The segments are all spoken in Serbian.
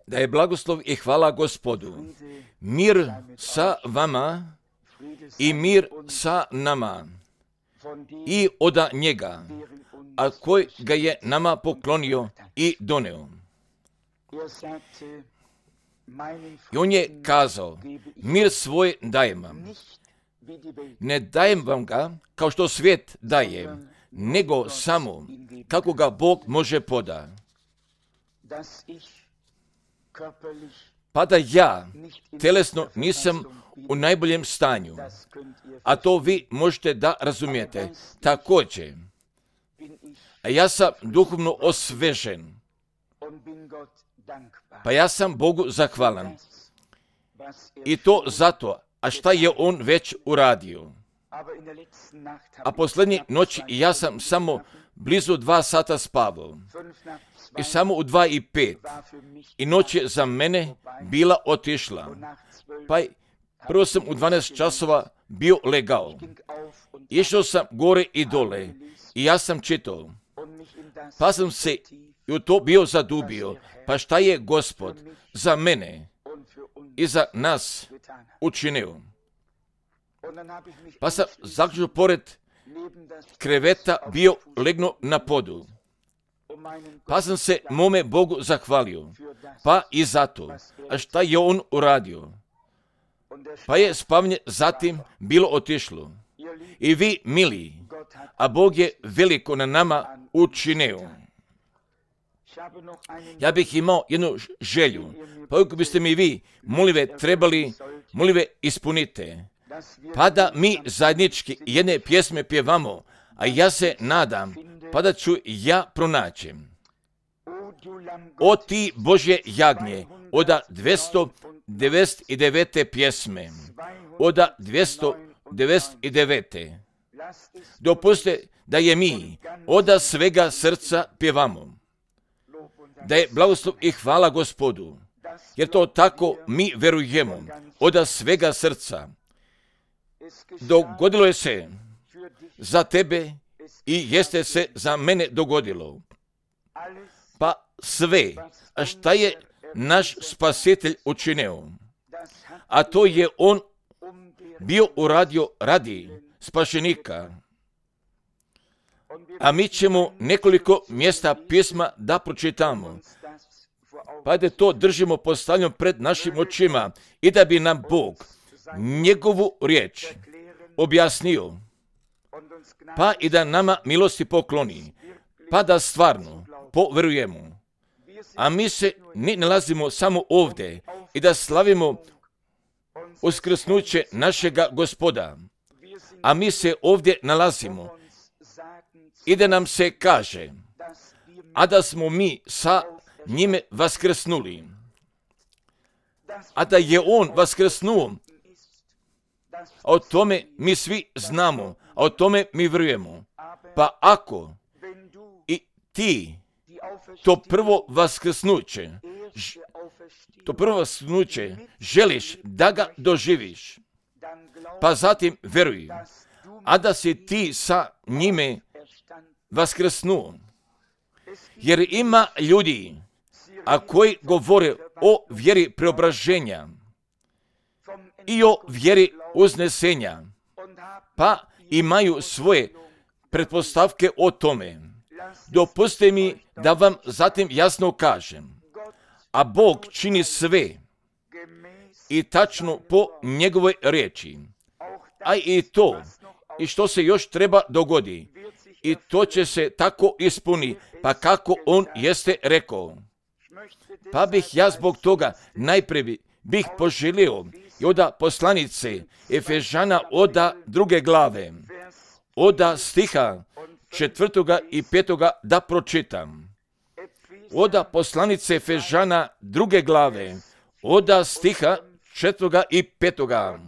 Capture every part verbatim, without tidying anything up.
Da je blagoslov i hvala Gospodu. Mir sa vama i mir sa nama i od njega, a koji ga je nama poklonio i doneo. I on je kazao, mir svoj dajem vam. Ne dajem vam ga kao što svijet daje, nego samo kako ga Bog može poda. Pa da ja telesno nisam u najboljem stanju, a to vi možete da razumijete. Također, a ja sam duhovno osvežen, pa ja sam Bogu zahvalan. I to zato, a šta je on već uradio. A posljednje noći ja sam samo blizu dva sata spavao. I samo u dva i pet. I noć je za mene bila otišla. Pa prvo sam u dvanaest časova bio legao. Išao sam gore i dole. I ja sam čitao. Pa sam se i u to bio zadubio. Pa šta je Gospod za mene i za nas učinio. Pa sam zaključio pored kreveta bio legno na podu. Pa sam se mome Bogu zahvalio. Pa i zato. A šta je on uradio? Pa je spavanje zatim bilo otišlo. I vi, mili, a Bog je veliko na nama učinio. Ja bih imao jednu želju. Pa ako biste mi vi, molive, trebali, molive, ispunite. Pa da mi zajednički jedne pjesme pjevamo, a ja se nadam, pa da ću ja pronaći. O ti Božje jagnje, oda dvjesto devedeset devete pjesme, oda dvjesto devedeset devete. Dopustite da je mi oda svega srca pjevamo. Da je blagoslov i hvala Gospodu, jer to tako mi verujemo, oda svega srca. Dogodilo je se za tebe i jeste se za mene dogodilo. Pa sve, a šta je naš spasitelj učinio? A to je on bio uradio radi spašenika. A mi ćemo nekoliko mjesta pisma da pročitamo. Pa da to držimo postavljeno pred našim očima i da bi nam Bog njegovu riječ objasnio, pa i da nama milosti pokloni, pa da stvarno poverujemo. A mi se ne nalazimo samo ovdje i da slavimo uskrsnuće našega Gospoda, a mi se ovdje nalazimo i da nam se kaže, a da smo mi sa njime vaskrsnuli, a da je on vaskrsnuo. A o tome mi svi znamo, a o tome mi vjerujemo. Pa ako i ti to prvo vaskrsnuće, to prvo vaskrsnuće želiš da ga doživiš, pa zatim vjeruj, a da si ti sa njime vaskrsnuo. Jer ima ljudi, a koji govore o vjeri preobraženja i o vjeri uznesenja, pa imaju svoje pretpostavke o tome. Dopustite mi da vam zatim jasno kažem, a Bog čini sve i tačno po njegovoj riječi, a i to, i što se još treba dogodi, i to će se tako ispuni, pa kako on jeste rekao. Pa bih ja zbog toga najprije bih poželio i oda poslanice Efežana oda druge glave, oda stiha četvrtoga i petoga da pročitam. Oda poslanice Efežana druge glave, oda stiha četvrtoga i petoga.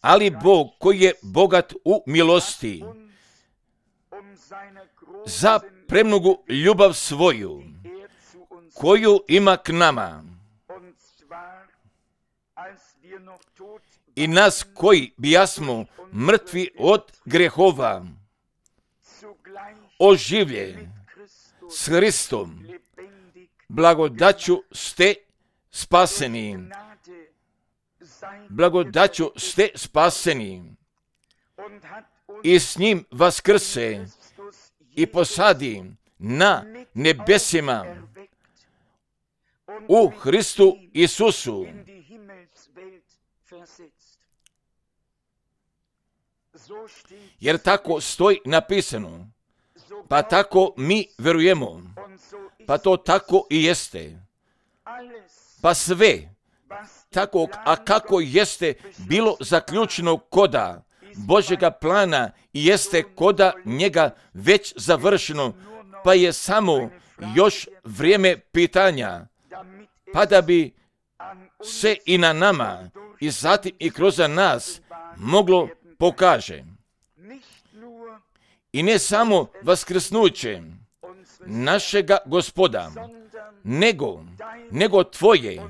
Ali Bog koji je bogat u milosti, za premnogu ljubav svoju, koju ima k nama, i nas koji bijasmo mrtvi od grehova, oživljen s Hristom, blagodaću ste spaseni. Blagodaću ste spaseni. I s njim vaskrse i posadi na nebesima u Hristu Isusu. Jer tako stoji napisano, pa tako mi verujemo, pa to tako i jeste. Pa sve, tako, a kako jeste bilo zaključeno koda Božjega plana i jeste koda njega već završeno, pa je samo još vrijeme pitanja, pa da bi se i na nama i zatim i kroz nas moglo pokaže. I ne samo vaskrsnuće našega Gospoda, nego, nego tvoje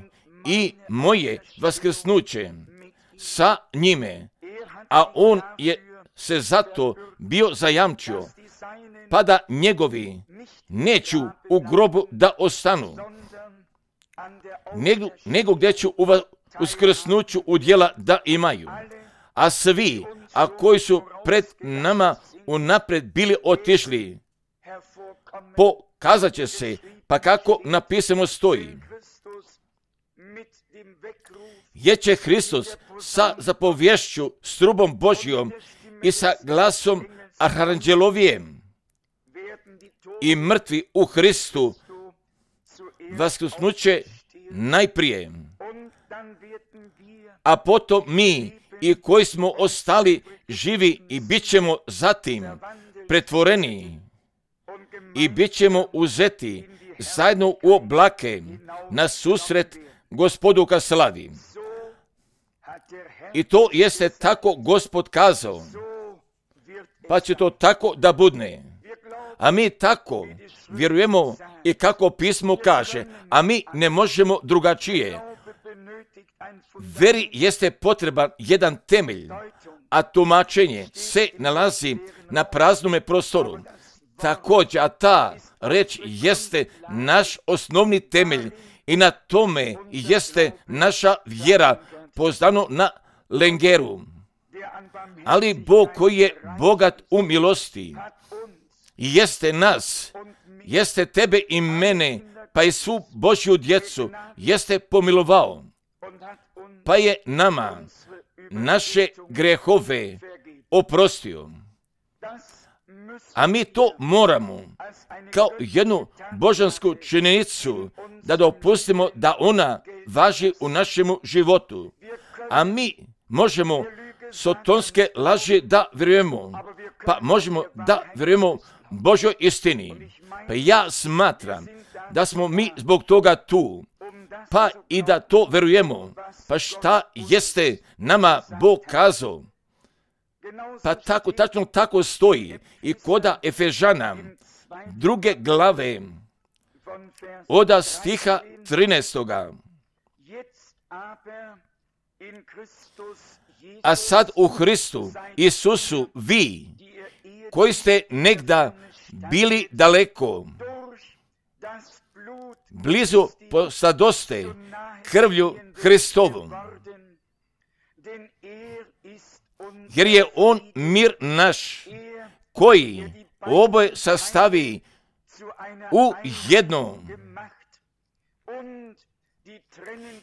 i moje vaskrsnuće sa njime, a on je se zato bio zajamčio, pa da njegovi neću u grobu da ostanu, nego, nego gdje ću u uskrsnuću udjela da imaju. A svi, a koji su pred nama unaprijed bili otišli, pokazat će se, pa kako napisano stoji, jer će Hristos sa zapovješću, s trubom Božjom i sa glasom arhanđelovijem i mrtvi u Hristu vaskrsnuće najprije, a potom mi i koji smo ostali živi i bit ćemo zatim pretvoreni i bit ćemo uzeti zajedno u oblake na susret Gospodu ka slavi. I to jeste tako Gospod kazao, pa će to tako da budne. A mi tako vjerujemo i kako pismo kaže, a mi ne možemo drugačije. Veri jeste potreban jedan temelj, a tumačenje se nalazi na praznome prostoru. Također, a ta reč jeste naš osnovni temelj i na tome jeste naša vjera poznano na lengeru. Ali Bog koji je bogat u milosti, jeste nas, jeste tebe i mene, pa i svu Božju djecu, jeste pomilovao, pa je nama naše grehove oprostio. A mi to moramo kao jednu božansku činjenicu da dopustimo da ona važi u našemu životu. A mi možemo sotonske laži da vjerujemo, pa možemo da vjerujemo Božoj istini. Pa ja smatram da smo mi zbog toga tu, pa i da to vjerujemo. Pa šta jeste nama Bog kazao? Pa tako, tačno tako stoji i koda Efežana druge glave od stiha trinaestoga. A sad u Hristu Isusu vi, koji ste negda bili daleko, blizu postadoste krvlju Hristovom, jer je on mir naš, koji oboje sastavi u jedno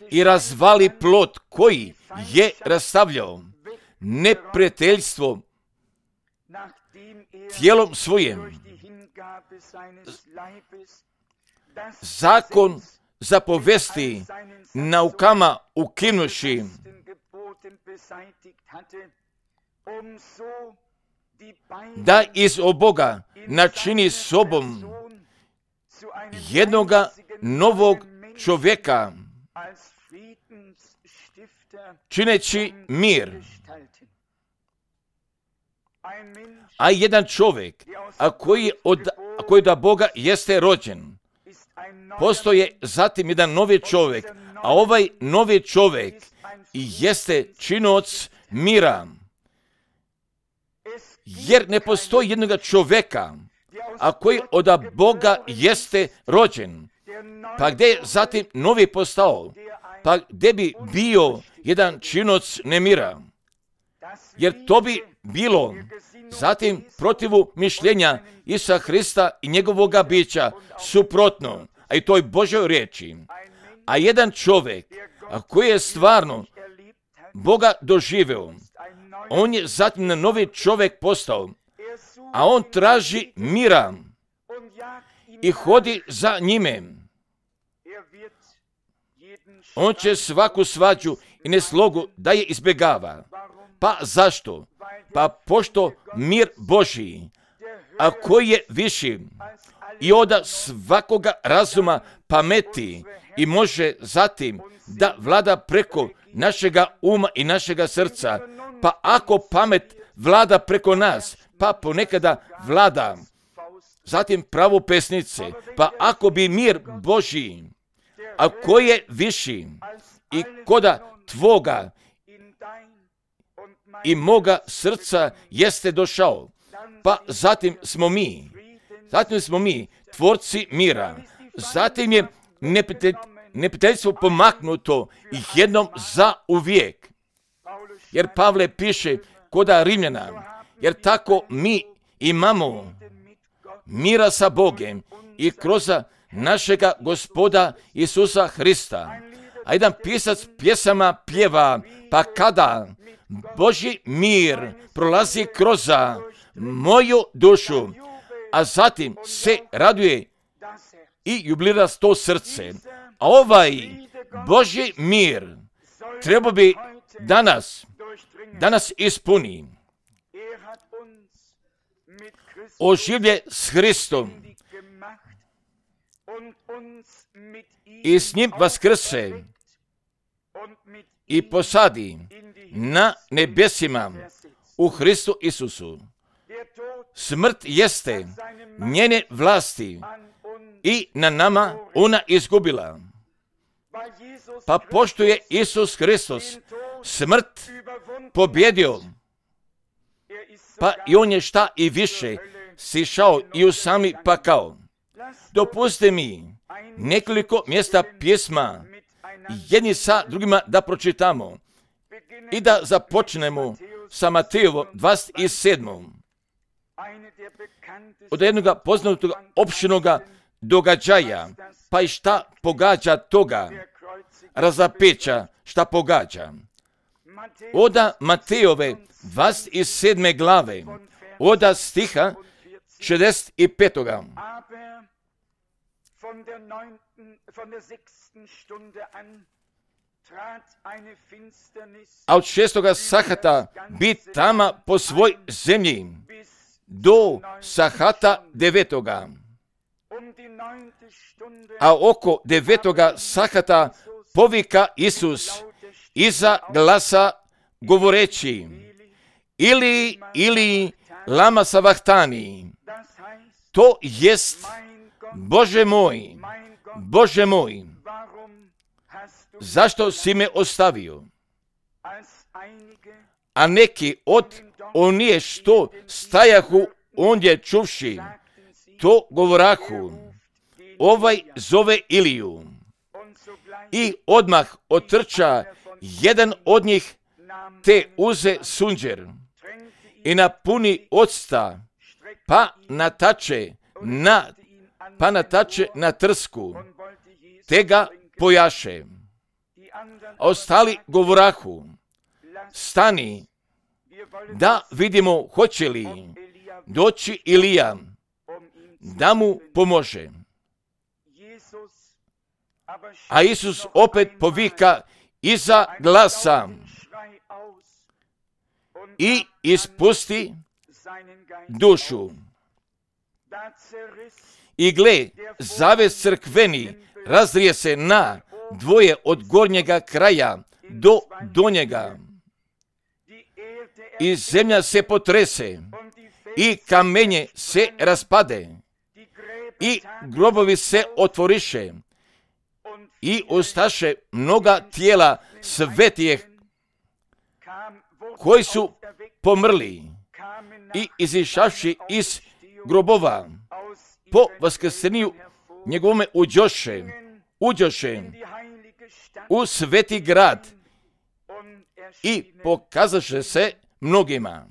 i razvali plot koji je rastavljao neprijateljstvo tijelom svojim. Zakon zapovesti naukama ukinuši, da iz oboga načini sobom jednoga novog čovjeka, čineći mir. A jedan čovjek, a koji, od, a koji da Boga jeste rođen, postoje zatim jedan novi čovjek, a ovaj novi čovjek jeste činoc mira. Jer ne postoji jednoga čovjeka, a koji od Boga jeste rođen, pa gdje je zatim novi postao, pa gdje bi bio jedan činoc nemira, jer to bi bilo zatim protivu mišljenja Isusa Hrista i njegovoga bića suprotno, a i toj Božoj riječi. A jedan čovjek koji je stvarno Boga doživeo, on je zatim na novi čovjek postao, a on traži mira i hodi za njime. On će svaku svađu i neslogu da je izbjegava. Pa zašto? Pa pošto mir Božji, a koji je viši i od svakoga razuma pameti i može zatim da vlada preko našega uma i našega srca, pa ako pamet vlada preko nas, pa ponekada vlada zatim pravo pesnice, pa ako bi mir Božji, a koji je viši i koda tvoga i moga srca jeste došao, pa zatim smo mi, zatim smo mi tvorci mira, zatim je neprijateljstvo pomaknuto jednom za uvijek. Jer Pavle piše koda Rimljana, jer tako mi imamo mira sa Bogem i kroz našega Gospoda Isusa Hrista. A jedan pisac pjesama pjeva, pa kada Božji mir prolazi kroz moju dušu, a zatim se raduje i jubilira to srce. A ovaj Božji mir treba bi danas, danas ispuni. Oživlje s Hristom i s njim vaskrse i posadi na nebesima u Hristu Isusu. Smrt jeste njene vlasti i na nama ona izgubila. Pa pošto je Isus Hristos smrt pobjedio, pa i on je šta i više sišao i u sami pakao. Dopustite mi nekoliko mjesta pjesma jedni sa drugima da pročitamo i da započnemo sa Matejevom dvadeset sedmom od jednog poznatog opštinoga događaja, pa i šta pogađa toga razapeća, šta pogađa. Oda Matejove dvadeset sedme glave, oda stiha šezdeset petoga. A od šestoga sahata bit tama po svoj zemlji do sahata devetoga. A oko devetoga sahata povika Isus iza glasa govoreći: Ili, ili, lama savahtani. To jest: Bože moj, Bože moj, zašto si me ostavio? A neki od onije što stajahu ondje čuvši, to govorahu: Ovaj zove Iliju. I odmah otrča jedan od njih, te uze sunđer i napuni octa, pa natače na, pa natače na trsku, te ga pojaše. A ostali govorahu: Stani, da vidimo hoće li doći Ilija da mu pomože. A Isus opet povika iza glasa i ispusti dušu. I gle, zaves crkveni razrije se na dvoje od gornjega kraja do donjega. I zemlja se potrese i kamenje se raspade i grobovi se otvoriše i ostaše mnoga tijela svetijeh koji su pomrli i izišavši iz grobova po vaskrsenju njegovome uđoše, uđoše u sveti grad i pokazaše se mnogima.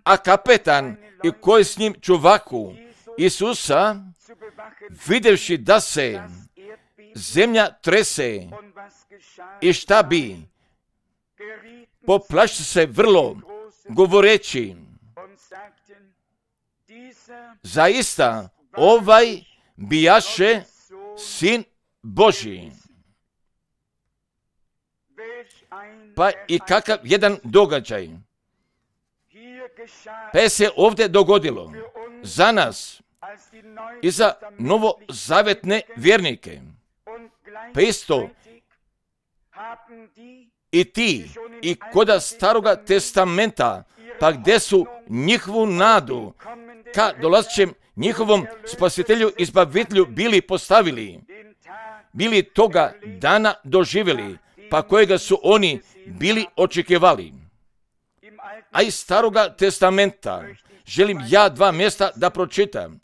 A kapetan i koji s njim čuvaku Isusa, videvši da se zemlja trese i šta bi, poplaši se vrlo, govoreći, zaista ovaj bijaše sin Božji. Pa i kakav jedan događaj. Pa je se ovdje dogodilo za nas i za novozavetne vjernike. Pa isto i ti i koda staroga testamenta, pa gdje su njihovu nadu ka dolazećem njihovom spasitelju i izbavitelju bili postavili, bili toga dana doživjeli, pa kojega su oni bili očekivali. A iz staroga testamenta želim ja dva mjesta da pročitam.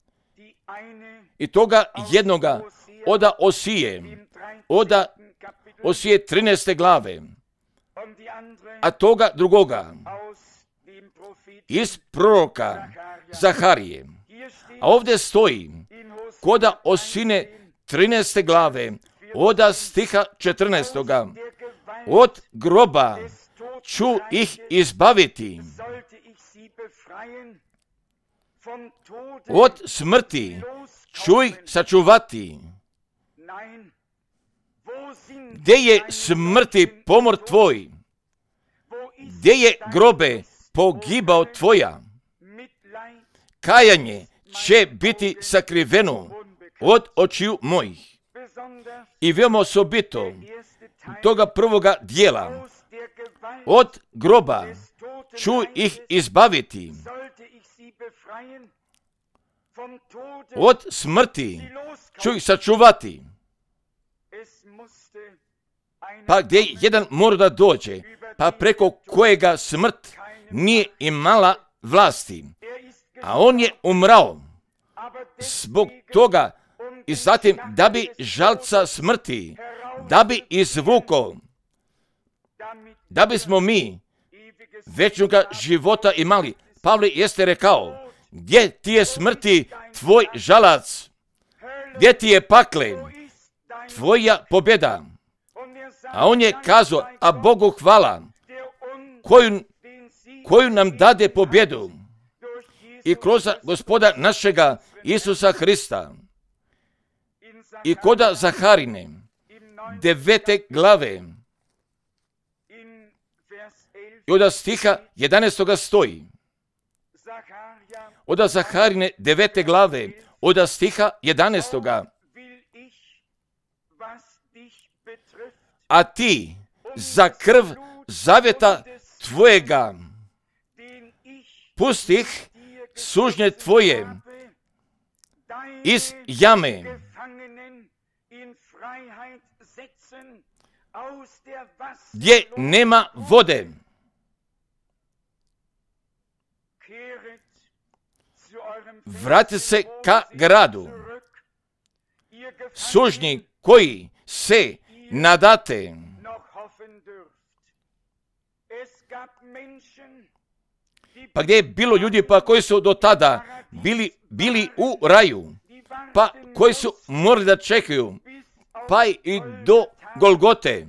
I toga jednoga oda Osije, oda Osije trinaeste glave, a toga drugoga iz proroka Zaharije. A ovdje stoji koda Osine trinaeste glave, oda stiha četrnaestoga. Od groba ću ih izbaviti, od smrti ću ih sačuvati. Gdje je smrti pomor tvoj? Gdje je grobe pogibao tvoja? Kajanje će biti sakriveno od očiju mojih. I veoma osobito toga prvoga dijela, od groba ću ih izbaviti, od smrti ću ih sačuvati. Pa gdje jedan mora da dođe, pa preko kojega smrt nije imala vlasti, a on je umrao zbog toga i zatim da bi žalca smrti, da bi izvukao, da bismo mi večnoga života imali. Pavle jeste rekao, gdje ti je smrti tvoj žalac, gdje ti je pakle tvoja pobjeda. A on je kazao, a Bogu hvala, koju, koju nam dade pobjedu i kroz Gospoda našega Isusa Hrista. I koda Zaharine, devete glave, i od stiha jedanaestoga stoji. Od Zaharine, devete glave, od stiha jedanaestoga. A ti za krv zaveta tvojega pustih sužnje tvoje iz jame, gdje nema vode. Vrati se ka gradu. Sužnji koji se nadate. Pa gdje je bilo ljudi pa koji su do tada bili, bili u raju, pa koji su morali da čekaju, pa i do Golgote,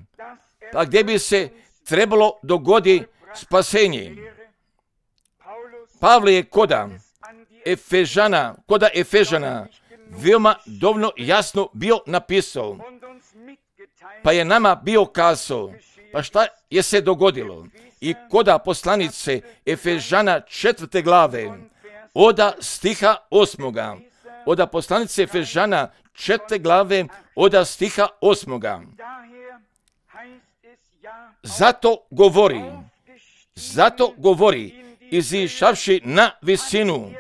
pa gdje bi se trebalo dogodi spasenje. Pavle je koda Efežana, koda Efežana veoma dovoljno jasno bio napisao, pa je nama bio kazao, pa šta je se dogodilo? I koda poslanice Efežana četvrte glave, oda stiha osmoga, oda poslanice Efežana četvrte glave, oda stiha osmoga. Zato govori, zato govori, izišavši na visinu,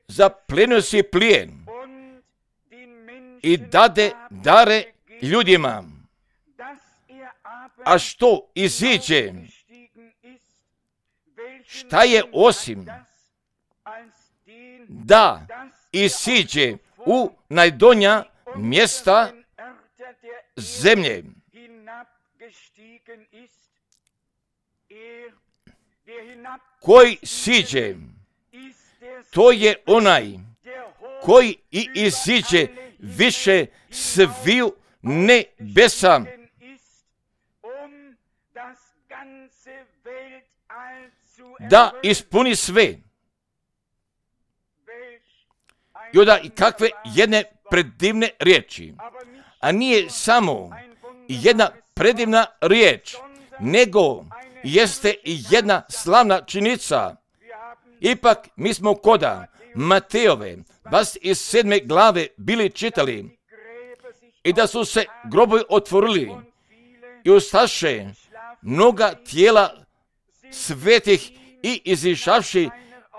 zaplenio si plijen i dade dare ljudima. A što iziđe? Šta je osim da isiđe u najdonja mjesta zemlje. Koji siđe, to je onaj koji i iziđe više sviju nebesa, da ispuni sve. I onda i kakve jedne predivne riječi, a nije samo jedna predivna riječ, nego jeste i jedna slavna činjenica. Ipak mi smo koda Mateove dvadeset sedme glave bili čitali i da su se grobovi otvorili i ustaše mnoga tijela svetih i izišavši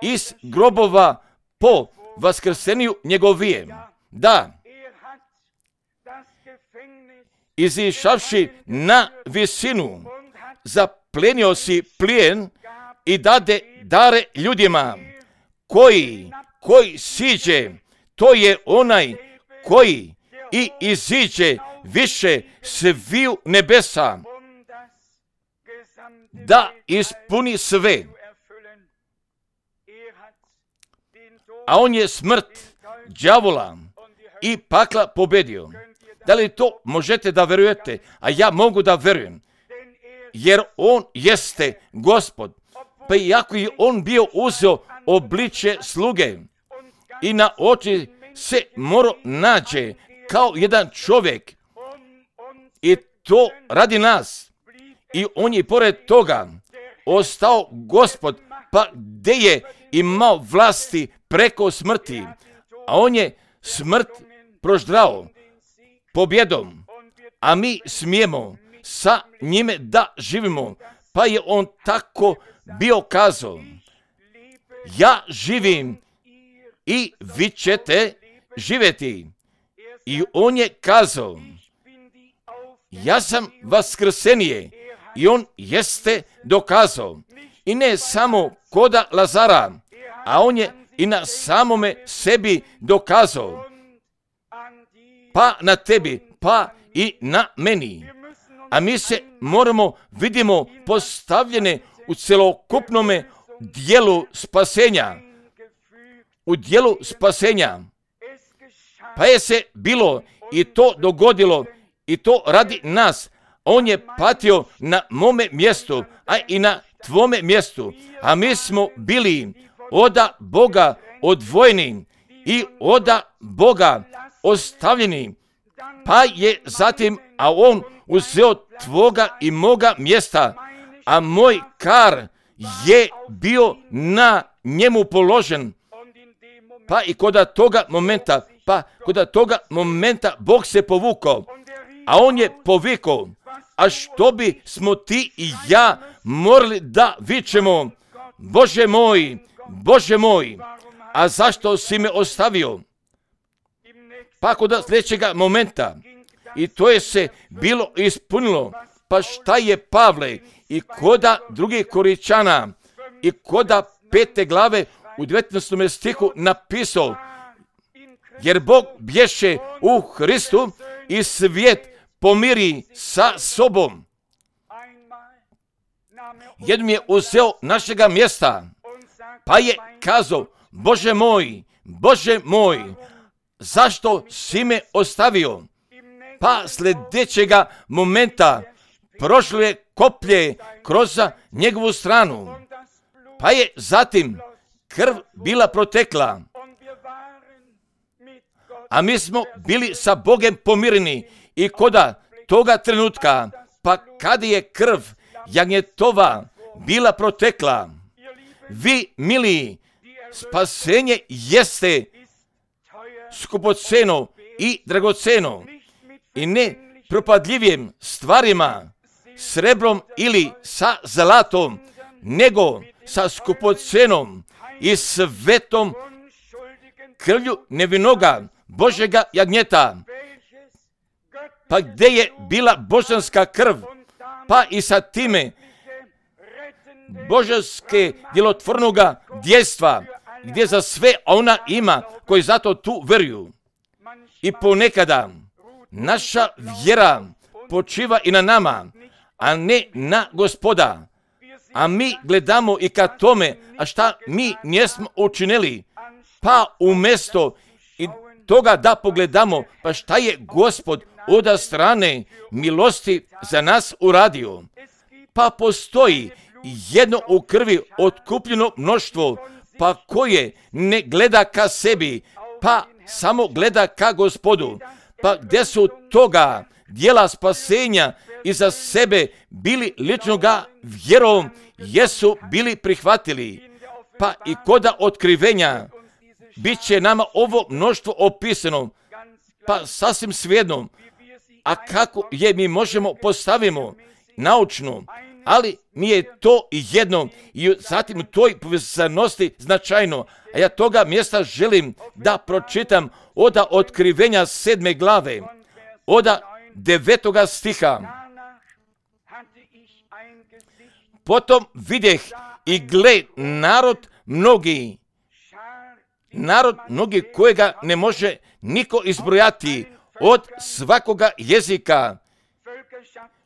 iz grobova po vaskrseniju njegovije. Da, izišavši na visinu, zaplenio si plijen i dade dare ljudima. Koji, koji siđe, to je onaj koji i iziđe više sviju nebesa, da ispuni sve. A on je smrt, đavola i pakla pobedio. Da li to možete da verujete? A ja mogu da verujem. Jer on jeste Gospod. Pa iako je on bio uzeo obličje sluge i na oči se moro nađe kao jedan čovjek. I to radi nas. I on je pored toga ostao Gospod, pa gdje je imao vlasti preko smrti, a on je smrt proždrao pobjedom, a mi smijemo sa njime da živimo. Pa je on tako bio kazao, ja živim i vi ćete živjeti. I on je kazao, ja sam vaskrsenije, i on jeste dokazao. I ne samo koda Lazara, a on je i na samome sebi dokazao. Pa na tebi, pa i na meni. A mi se moramo, vidimo, postavljene u celokupnome dijelu spasenja. U dijelu spasenja. Pa je se bilo i to dogodilo i to radi nas. On je patio na mome mjestu, a i na tvome mjestu. A mi smo bili oda Boga odvojeni i oda Boga ostavljeni. Pa je zatim, a on uzeo tvoga i moga mjesta, a moj kar je bio na njemu položen. Pa i koda toga momenta, pa koda toga momenta Bog se povukao, a on je povikao, a što bi smo ti i ja morali da vičemo, Bože moj, Bože moj, a zašto si me ostavio? Pa koda sljedećega momenta, i to je se bilo ispunilo, pa šta je Pavle i koda drugih Koričana i koda pete glave u devetnaestom stihu napisao, jer Bog bješe u Hristu i svijet pomiri sa sobom. Jednom je uzeo našega mjesta, pa je kazao, Bože moj, Bože moj, zašto si me ostavio? Pa sljedećega momenta prošlo je koplje kroz njegovu stranu, pa je zatim krv bila protekla, a mi smo bili sa Bogem pomireni. I koda toga trenutka, pa kada je krv jagnjetova bila protekla, vi, mili, spasenje jeste skupoceno i dragoceno i ne propadljivim stvarima, srebrom ili sa zlatom, nego sa skupocenom i svetom krvlju nevinoga Božega jagnjeta. Pa gdje je bila božanska krv, pa i sa time božanske djelotvornoga djestva gdje za sve ona ima koji zato tu veruju. I ponekada naša vjera počiva i na nama, a ne na Gospoda. A mi gledamo i ka tome, a šta mi nismo učinili, pa umjesto i toga da pogledamo, pa šta je Gospod od strane milosti za nas uradio. Pa postoji jedno u krvi otkupljeno mnoštvo, pa koje ne gleda ka sebi, pa samo gleda ka Gospodu. Pa gdje su toga dijela spasenja i za sebe bili ličnoga vjerom, jesu bili prihvatili. Pa i koda otkrivenja bit će nama ovo mnoštvo opisano, pa sasvim svejedno, a kako je mi možemo postavimo naučno, ali mi je to jedno i zatim u toj povezanosti značajno. A ja toga mjesta želim da pročitam od otkrivenja sedme glave, od devetoga stiha. Potom vidjeh i gle narod mnogi, narod mnogi kojega ne može niko izbrojati, od svakoga jezika,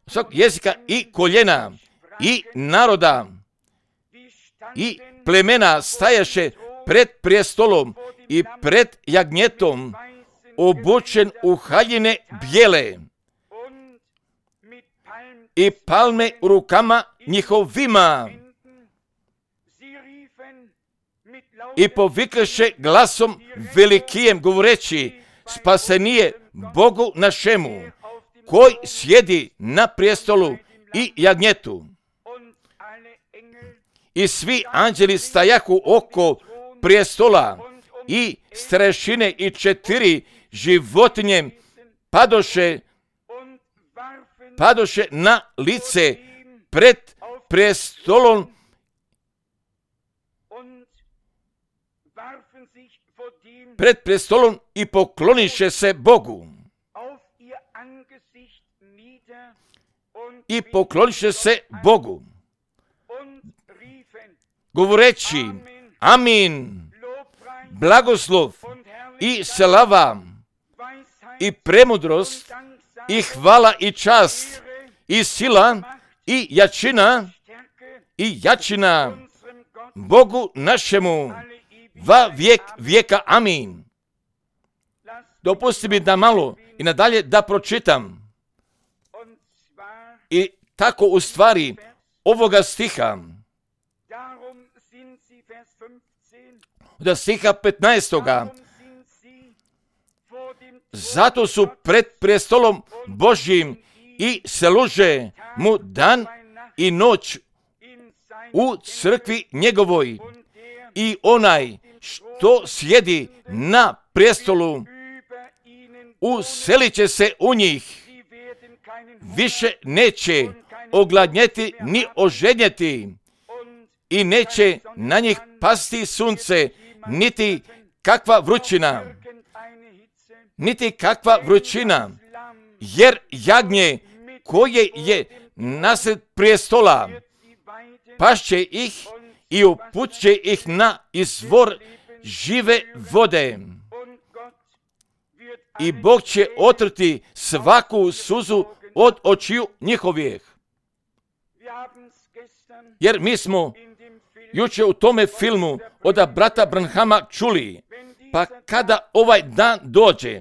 svakog jezika i koljena i naroda i plemena stajaše pred prijestolom i pred jagnjetom, obučen u haljine bijele i palme u rukama njihovima, i povikaše glasom velikijem govoreći, spasenije Bogu našemu, koji sjedi na prijestolu i jagnjetu. I svi anđeli stajahu oko prijestola i starešine i četiri životinje padoše, padoše na lice pred prijestolom pred prestolom i pokloniše se Bogu. I pokloniše se Bogu, govoreći, amin, blagoslov i slava i premudrost i hvala i čast i sila i jačina i jačina Bogu našemu va vijek vijeka, amin. Dopusti mi da malo i nadalje da pročitam. I tako u stvari ovoga stiha, da stiha petnaestoga, zato su pred prestolom Božjim i služe mu dan i noć u crkvi njegovoj, i onaj što sjedi na prestolu uselit će se u njih, više neće ogladnjeti ni oženjeti, i neće na njih pasti sunce, niti kakva vrućina, niti kakva vrućina, jer jagnje koje je nasred prijestola pašće ih i upuće ih na izvor žive vode. I Bog će otrti svaku suzu od očiju njihovih. Jer mi smo jučer u tome filmu od brata Branhama čuli, pa kada ovaj dan dođe,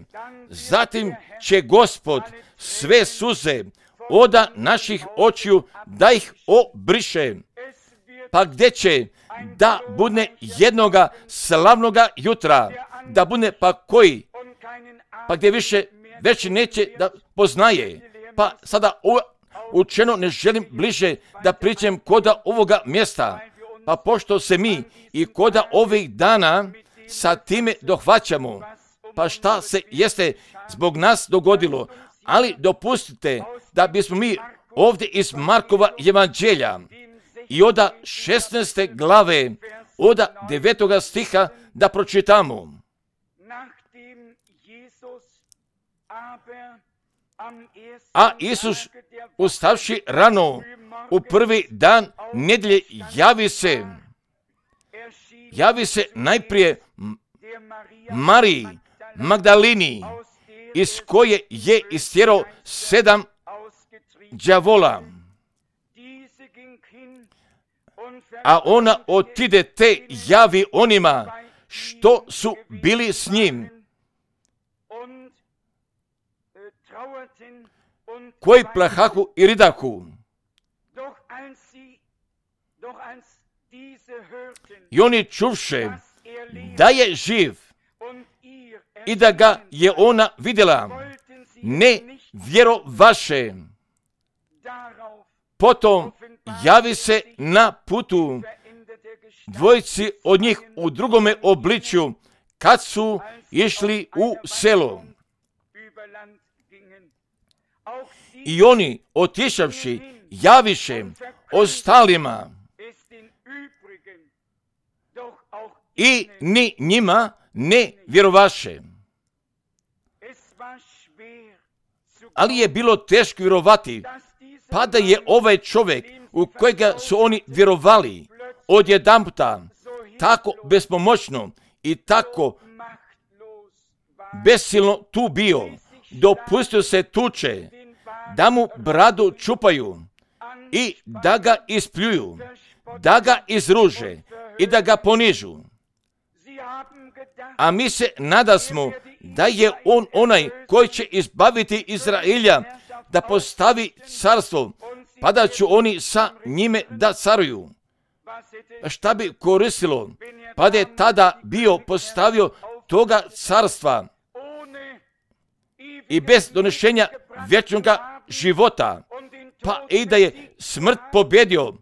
zatim će Gospod sve suze od naših očiju da ih obriše. Pa gdje će da bude jednoga slavnoga jutra, da bude pa koji, pa gdje više već neće da poznaje. Pa sada učeno ne želim bliže da pričam koda ovoga mjesta, pa pošto se mi i koda ovih dana sa time dohvaćamo, pa šta se jeste zbog nas dogodilo, ali dopustite da bismo mi ovdje iz Markova evanđelja i od šesnaeste glave, od devetoga stiha da pročitamo. A Isus, ustavši rano u prvi dan nedjelje, javi se javi se najprije Mariji Magdalini, iz koje je istjerao sedam đavola. A ona otide te javi onima što su bili s njim, koji plahahu i ridahu. I oni čuvše da je živ i da ga je ona vidjela, ne vjerovaše. Potom javi se na putu dvojici od njih u drugome obličju, kad su išli u selo. I oni, otišavši, javiše ostalima, i ni njima ne vjerovaše. Ali je bilo teško vjerovati, pa da je ovaj čovjek u kojega su oni vjerovali odjedanputa tako bespomoćno i tako besilno tu bio, dopustio se tuče, da mu bradu čupaju i da ga ispljuju, da ga izruže i da ga ponižu. A mi se nadasmo da je on onaj koji će izbaviti Izraelja, da postavi carstvo, pa da će oni sa njime da caruju. Šta bi koristilo, pa da je tada bio postavio toga carstva i bez donešenja vječnog života, pa i da je smrt pobjedio,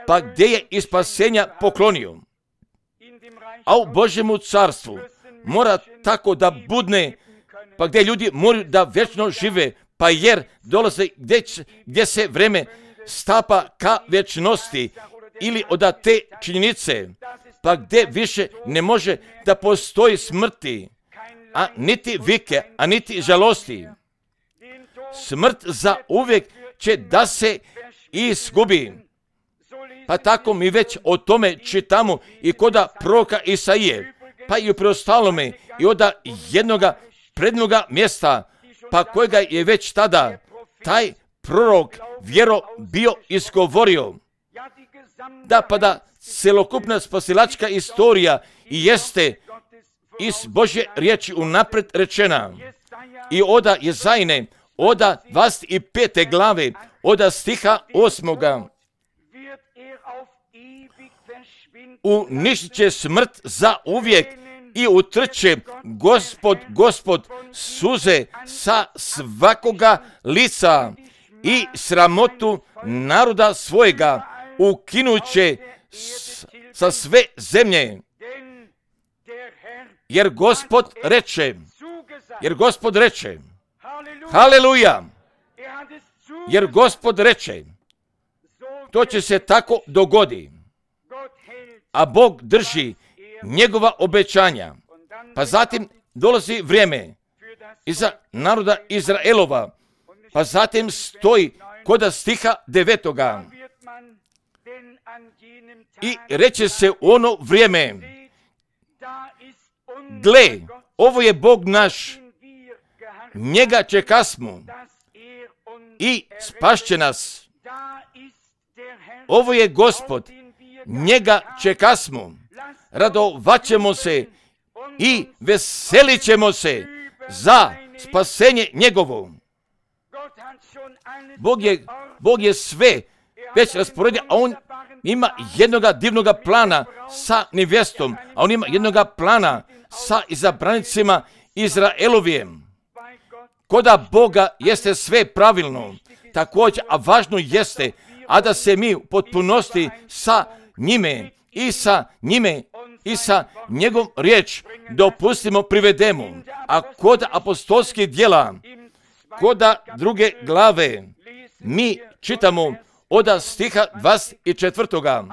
pa gdje je i spasenja poklonio. A u Božjemu carstvu mora tako da budne, pa gdje ljudi moraju da vječno žive, pa jer dolaze gdje, gdje se vreme stapa ka vječnosti ili od te činjenice, pa gdje više ne može da postoji smrti, a niti vike, a niti žalosti. Smrt za uvijek će da se izgubi. Pa tako mi već o tome čitamo i koda proroka Isaije, pa i u preostalome i od jednoga prednoga mjesta, pa kojega je već tada taj prorok vjero bio izgovorio. Da, pa da celokupna spasilačka istorija i jeste iz Božje riječi unapred rečena. I oda Jezajne, oda dvadeset pete glave, oda stiha osmoga. Uništit će smrt za uvijek i utrće Gospod, Gospod suze sa svakoga lica i sramotu naroda svojega ukinuće sa sve zemlje. Jer Gospod reče, jer Gospod reče, haleluja, jer Gospod reče, to će se tako dogodi. A Bog drži njegova obećanja. Pa zatim dolazi vrijeme iza naroda Izraelova. Pa zatim stoji koda stiha devetoga. I reče se u ono vrijeme, gle, ovo je Bog naš, njega čekasmo i spašće nas. Ovo je Gospod, njega čekasmo, radovaćemo se i veselit ćemo se za spasenje njegovo. Bog je, Bog je sve već rasporedio, a on ima jednoga divnoga plana sa nevjestom, a on ima jednoga plana sa izabranicima Izraelovijem. Koda Boga jeste sve pravilno, također, a važno jeste, a da se mi u potpunosti sa njime i sa njime i sa njegov riječ dopustimo privedemo. A kod apostolskih djela, koda druge glave, mi čitamo od stiha dvadeset četvrtoga.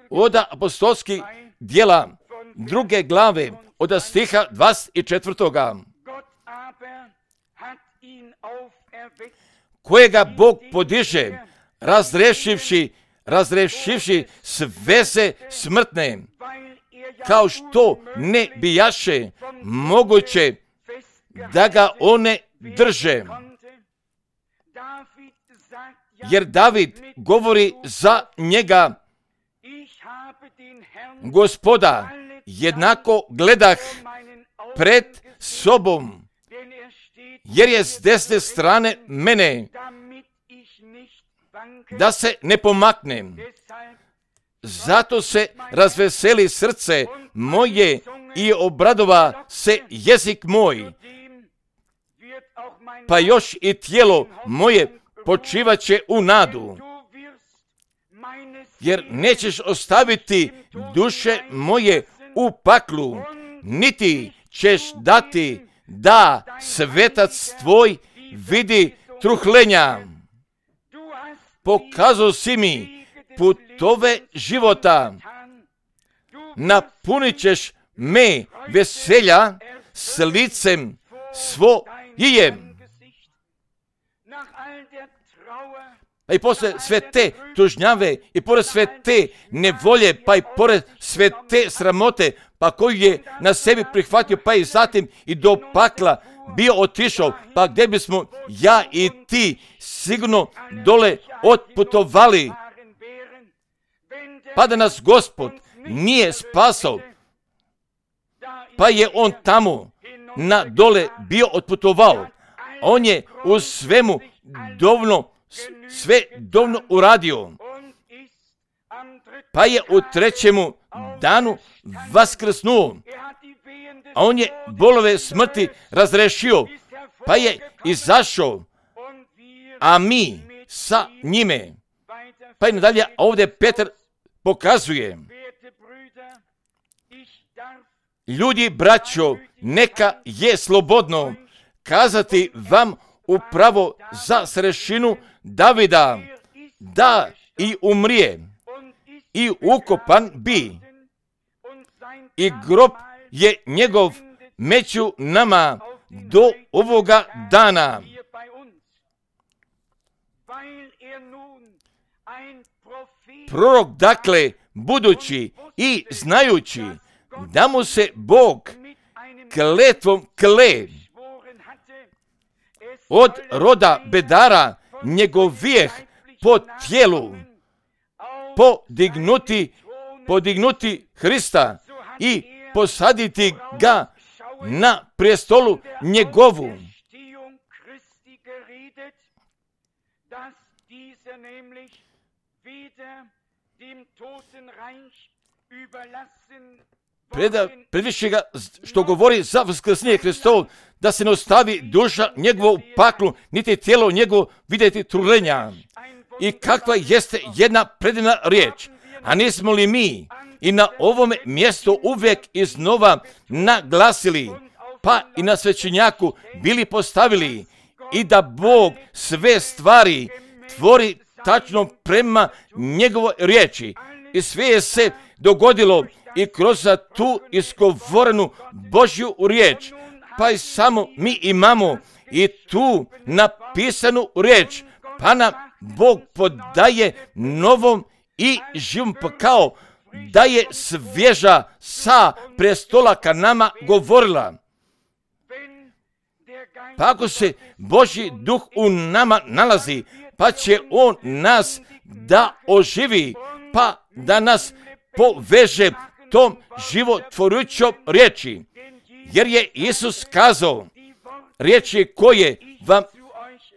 Od apostolskih djela druge glave, od stiha dvadeset četvrtoga. Kojega Bog podiže, razrešivši, razrešivši sveze smrtne, kao što ne bijaše moguće da ga one drže. Jer David govori za njega: Gospoda, jednako gledah pred sobom, jer je s desne strane mene, da se ne pomaknem. Zato se razveseli srce moje i obradova se jezik moj, pa još i tijelo moje počivaće u nadu, jer nećeš ostaviti duše moje u paklu, niti ćeš dati da svetac tvoj vidi truhlenja. Pokazao si mi putove života, napunit ćeš me veselja s licem svojim. Pa i posle sve te tužnjave, i pored sve te nevolje, pa i pored sve te sramote, pa koju je na sebi prihvatio, pa i zatim i do pakla bio otišao, pa gdje bismo ja i ti sigurno dole otputovali, pa da nas Gospod nije spasao, pa je on tamo na dole bio otputovao. On je u svemu dovoljno, sve dovoljno uradio, pa je u trećemu danu vaskrsnuo, a on je bolove smrti razrešio, pa je izašao, a mi sa njime. Pa i nadalje ovdje Petar pokazuje: ljudi, braćo, neka je slobodno kazati vam upravo za srešinu Davida, da i umrije i ukopan bi, i grob je njegov među nama do ovoga dana. Prorok, dakle, budući i znajući da mu se Bog kletvom kle od roda bedara njegovijeh po tijelu podignuti, podignuti Hrista i posaditi ga na prestolu njegovu. Preda, predviše ga što govori za vaskrsenje Hristovo, da se ne ostavi duša njegova u paklu, niti tijelo njegovo vidjeti trulenja. I kakva jeste jedna predivna riječ. A nismo li mi i na ovome mjestu uvijek iznova naglasili, pa i na svećenjaku bili postavili, i da Bog sve stvari tvori tačno prema njegovoj riječi. I sve je se dogodilo i kroz tu izgovorenu Božju riječ. Pa i samo mi imamo i tu napisanu riječ, pa nam Bog podaje novom i živom, pa kao da je svježa sa prestola ka nama govorila. Pa ako se Božji duh u nama nalazi, pa će on nas da oživi, pa da nas poveže tom životvorujućom riječi. Jer je Isus kazao, riječi koje vam,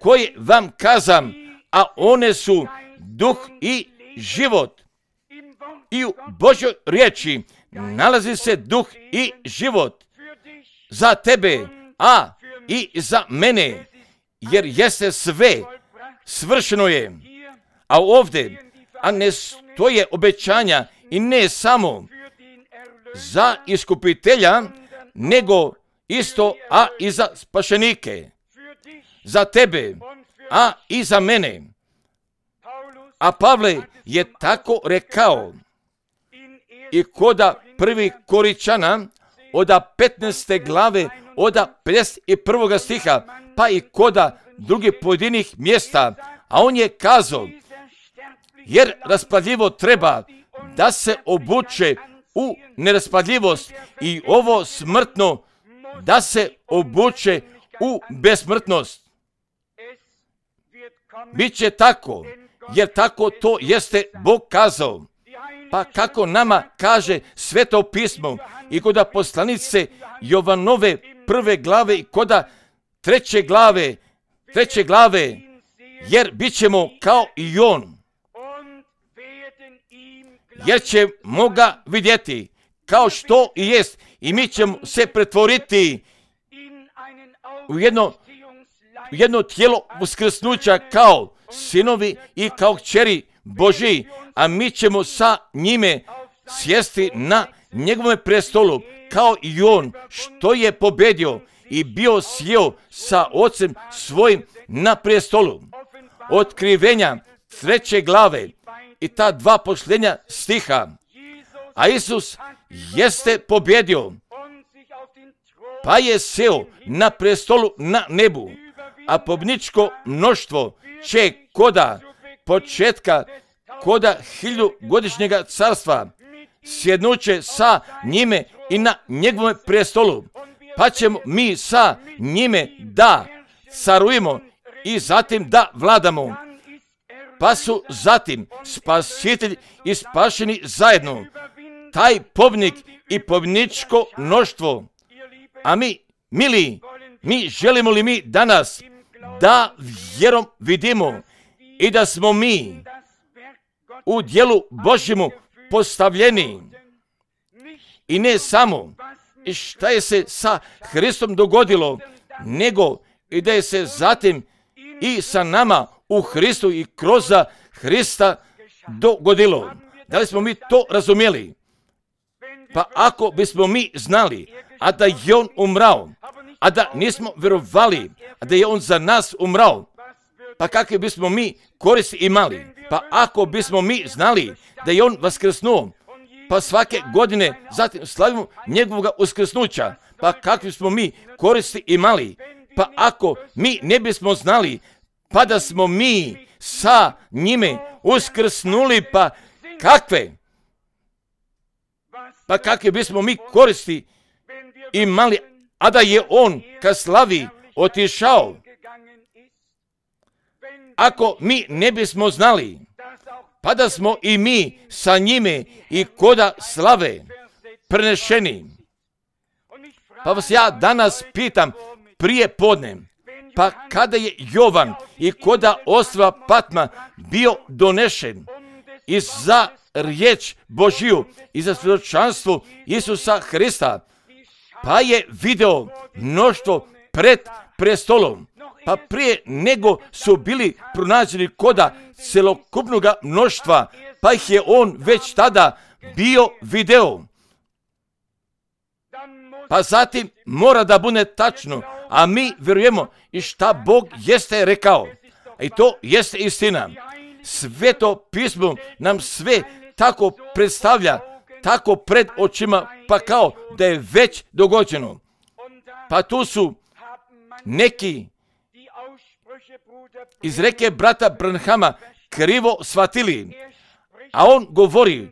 koje vam kazam, a one su duh i život. I u Božjoj riječi nalazi se duh i život za tebe, a i za mene, jer jeste sve, svršeno je. A ovdje, a ne stoje obećanja, i ne samo za iskupitelja, nego isto, a i za spašenike, za tebe, a i za mene. A Pavle je tako rekao i koda prvi Koričana, oda petnaeste glave, oda pedeset prvog stiha, pa i koda drugih pojedinih mjesta, a on je kazao, jer raspadljivo treba da se obuče u neraspadljivost i ovo smrtno da se obuče u besmrtnost. Biće tako, jer tako to jeste Bog kazao. Pa kako nama kaže Sveto pismo i koda poslanice Jovanove prve glave i koda treće glave, treće glave, jer bit ćemo kao i on. Jer ćemo ga vidjeti kao što i jest i mi ćemo se pretvoriti u jedno, u jedno tijelo uskrsnuća kao sinovi i kao kćeri Božji, a mi ćemo sa njime sjesti na njegovom prestolu kao i on što je pobedio i bio sjeo sa ocem svojim na prestolu. Otkrivenja treće glave i ta dva posljednja stiha. A Isus jeste pobjedio, pa je sjeo na prestolu na nebu, a pobničko mnoštvo će koda početka, koda hiljugodišnjega carstva, sjednuće sa njime i na njegovom prestolu, pa ćemo mi sa njime da carujemo i zatim da vladamo. Pa su zatim spasitelj i spašeni zajedno, taj pobnik i pobničko mnoštvo. A mi, mili, mi želimo li mi danas da vjerom vidimo i da smo mi u djelu Božjemu postavljeni i ne samo i šta je se sa Hristom dogodilo, nego i da je se zatim i sa nama u Hristu i kroz Hrista dogodilo. Da li smo mi to razumjeli? Pa ako bismo mi znali, a da je on umrao, a da nismo vjerovali, a da je on za nas umrao, pa kakve bismo mi koristi imali? Pa ako bismo mi znali da je on vaskrsnuo, pa svake godine zatim slavimo njegovog uskrsnuća, pa kakve smo mi koristi imali? Pa ako mi ne bismo znali, pa da smo mi sa njime uskrsnuli, pa kakve? Pa kakve bismo mi koristi imali, a da je on ka slavi otišao? Ako mi ne bismo znali, pa da smo i mi sa njime i koda slave prenešeni. Pa vas ja danas pitam prije podne, pa kada je Jovan i koda ostrva Patma bio donešen i za riječ Božiju i za svjedočanstvo Isusa Hrista, pa je video mnoštvo pred prestolom, pa prije nego su bili pronađeni koda celokupnog mnoštva, pa ih je on već tada bio video. Pa zatim mora da bude tačno, a mi vjerujemo i šta Bog jeste rekao. I to jeste istina. Sveto pismo nam sve tako predstavlja, tako pred očima, pa kao da je već dogođeno. Pa tu su neki iz reke brata Branhama krivo shvatili, a on govori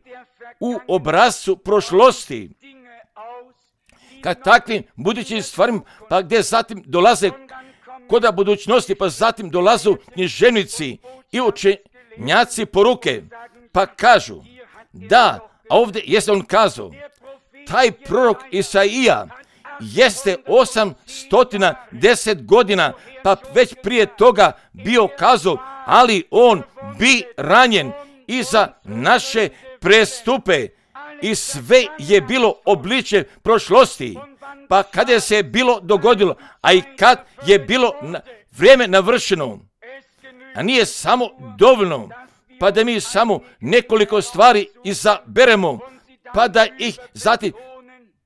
u obrazcu prošlosti, kad takvim budućim stvarima, pa gdje zatim dolaze koda budućnosti, pa zatim dolazu književnici i učenjaci poruke, pa kažu da, a ovdje jeste on kazao, taj prorok Isaija jeste osamsto deset godina, pa već prije toga bio kazao, ali on bi ranjen i za naše prestupe i sve je bilo obličje prošlosti. Pa kada se je bilo dogodilo, a i kad je bilo na, vrijeme navršeno, a nije samo dovoljno, pa da mi samo nekoliko stvari izaberemo, pa da ih zatim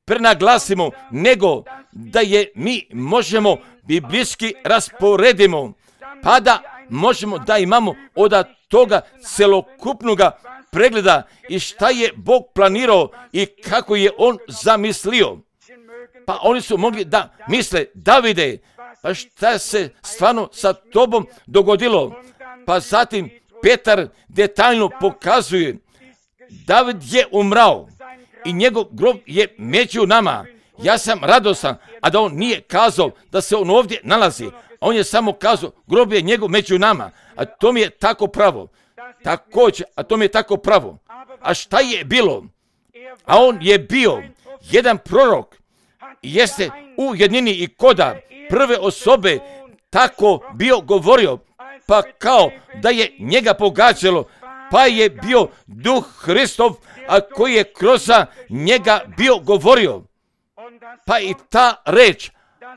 prenaglasimo, nego da je mi možemo biblijski rasporedimo, pa da možemo da imamo od toga celokupnog pregleda i šta je Bog planirao i kako je on zamislio. Pa oni su mogli da misle, Davide, pa šta se stvarno sa tobom dogodilo? Pa zatim Petar detaljno pokazuje, David je umrao i njegov grob je među nama. Ja sam radosan, a da on nije kazao da se on ovdje nalazi. On je samo kazao, grob je njegov među nama, a to mi je tako pravo. Također, a to mi je tako pravo. A šta je bilo? A on je bio jedan prorok, jeste u jednini i koda prve osobe tako bio govorio, pa kao da je njega pogađalo, pa je bio Duh Hristov, a koji je kroz njega bio govorio. Pa i ta reč,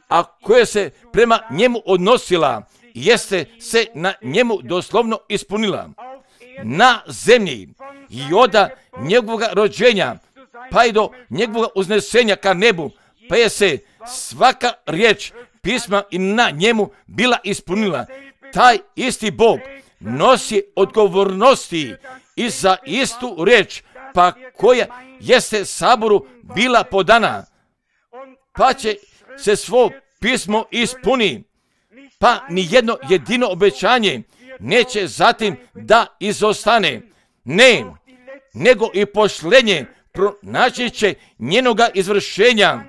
a koja se prema njemu odnosila, jeste se na njemu doslovno ispunila. Na zemlji i od njegovog rođenja, pa i do njegovog uznesenja ka nebu, pa je se svaka riječ pisma i na njemu bila ispunila. Taj isti Bog nosi odgovornosti i za istu riječ, pa koja jeste saboru bila podana, pa će se svo pismo ispuni, pa ni jedno jedino obećanje neće zatim da izostane. Ne, nego i pošlenje pronaći će njenoga izvršenja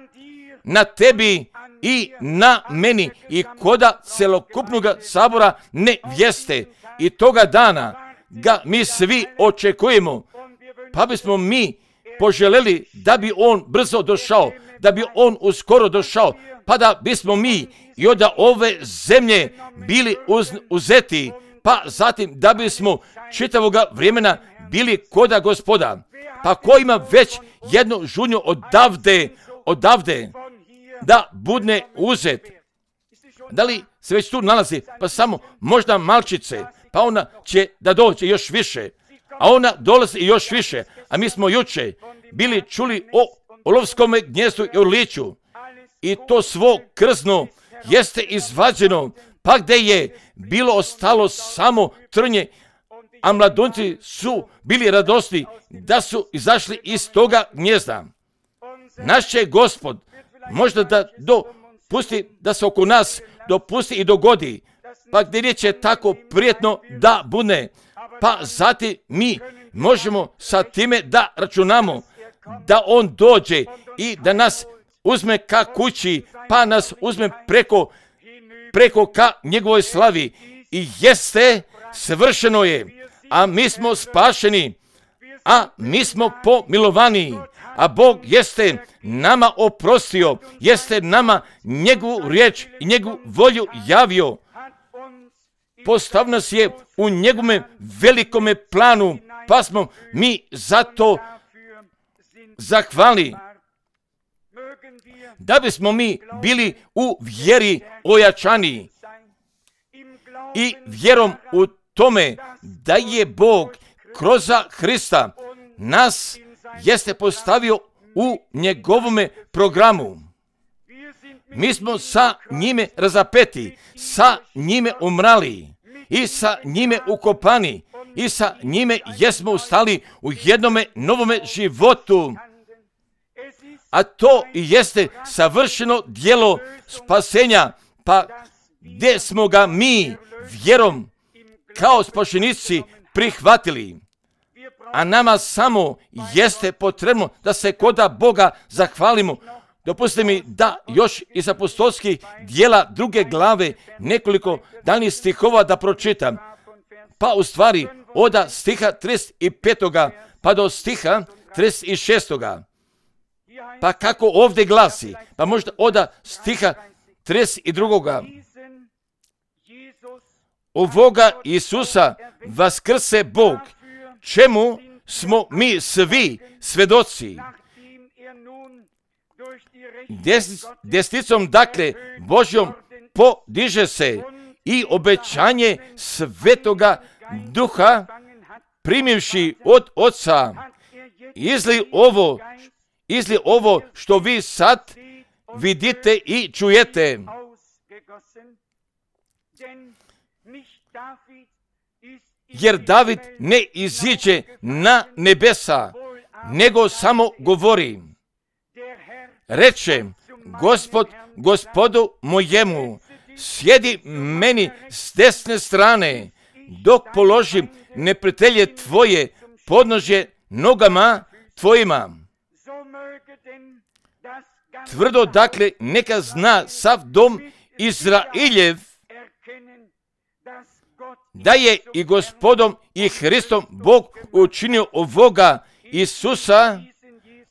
na tebi i na meni i koda celokupnog sabora nevjeste. I toga dana ga mi svi očekujemo, pa bismo mi poželjeli da bi on brzo došao, da bi on uskoro došao, pa da bismo mi i od ove zemlje bili uz, uzeti, pa zatim da bismo čitavoga vremena bili koda Gospoda. Pa ko ima već jednu žunju odavde, odavde, da budne uzet. Da li se već tu nalazi? Pa samo možda malčice, pa ona će da dođe još više, a ona dolazi još više. A mi smo juče bili čuli o olovskom gnjezdu i orliću, i to svo krzno jeste izvađeno, pa gde je bilo ostalo samo trnje, a mladunci su bili radosni da su izašli iz toga gnjezda. Naš će Gospod možda da dopusti da se oko nas dopusti i dogodi, pa gdje će tako prijetno da bude, pa zatim mi možemo sa time da računamo da on dođe i da nas uzme ka kući, pa nas uzme preko, preko ka njegovoj slavi. I jeste, svršeno je, a mi smo spašeni, a mi smo pomilovani, a Bog jeste nama oprostio, jeste nama njegovu riječ i njegovu volju javio. Postav nas je u njegovome velikome planu, pa smo mi zato zahvali. Da bismo mi bili u vjeri ojačani i vjerom u tome da je Bog kroz Hrista nas jeste postavio u njegovome programu. Mi smo sa njime razapeti, sa njime umrali i sa njime ukopani i sa njime jesmo ustali u jednome novome životu. A to i jeste savršeno djelo spasenja, pa gdje smo ga mi vjerom kao spašenici prihvatili. A nama samo jeste potrebno da se koda Boga zahvalimo. Dopustite mi da još iz apostolskih dijela druge glave nekoliko danih stihova da pročitam. Pa u stvari od stiha trideset pet pa do stiha trideset šest. Pa kako ovdje glasi, pa možda od stiha trideset dva. Ovoga Isusa vaskrse Bog, čemu smo mi svi svedoci. Des, desnicom dakle Božjom podiže se i obećanje Svetoga Duha primivši od Oca, izli ovo, izli ovo što vi sad vidite i čujete. Jer David ne iziđe na nebesa, nego samo govori. Reče Gospod Gospodu mojemu, sjedi meni s desne strane, dok položim neprijatelje tvoje podnožje nogama tvojima. tvrdo dakle neka zna sav dom Izraeljev da je i Gospodom i Hristom Bog učinio ovoga Isusa,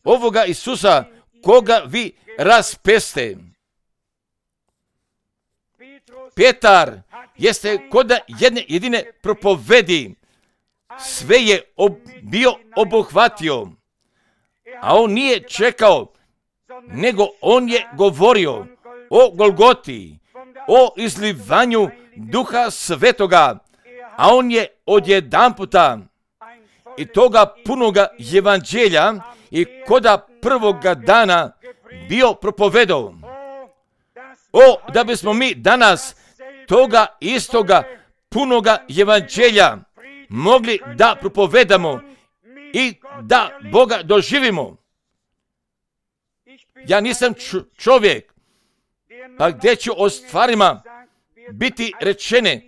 ovoga Isusa koga vi raspeste. Petar jeste kod jedne jedine propovedi sve je ob, bio obuhvatio, a on nije čekao, nego on je govorio o Golgoti, o izlivanju Duha Svetoga, a on je odjedanputa i toga punoga evanđelja i koda prvoga dana bio propovedao. O, da bismo mi danas toga istoga punoga evanđelja mogli da propovedamo i da Boga doživimo. Ja nisam čovjek, pa gdje ću o stvarima biti rečene,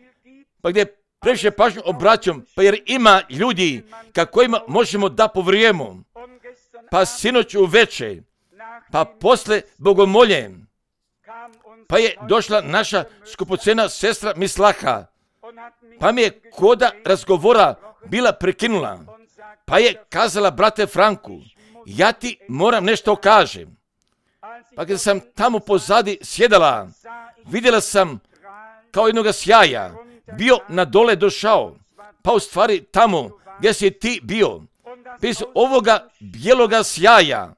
pa gdje previše pažnju obraćam, pa jer ima ljudi ka kojima možemo da povrijemo. Pa sinoć uveče, pa posle bogomolje, pa je došla naša skupocena sestra Mislaha, pa mi je koda razgovora bila prekinula, pa je kazala, brate Franku, ja ti moram nešto kažem. Pa kada sam tamo pozadi sjedala, vidjela sam kao jednoga sjaja, bio na dole došao, pa u stvari tamo gdje si ti bio, bez ovoga bijeloga sjaja,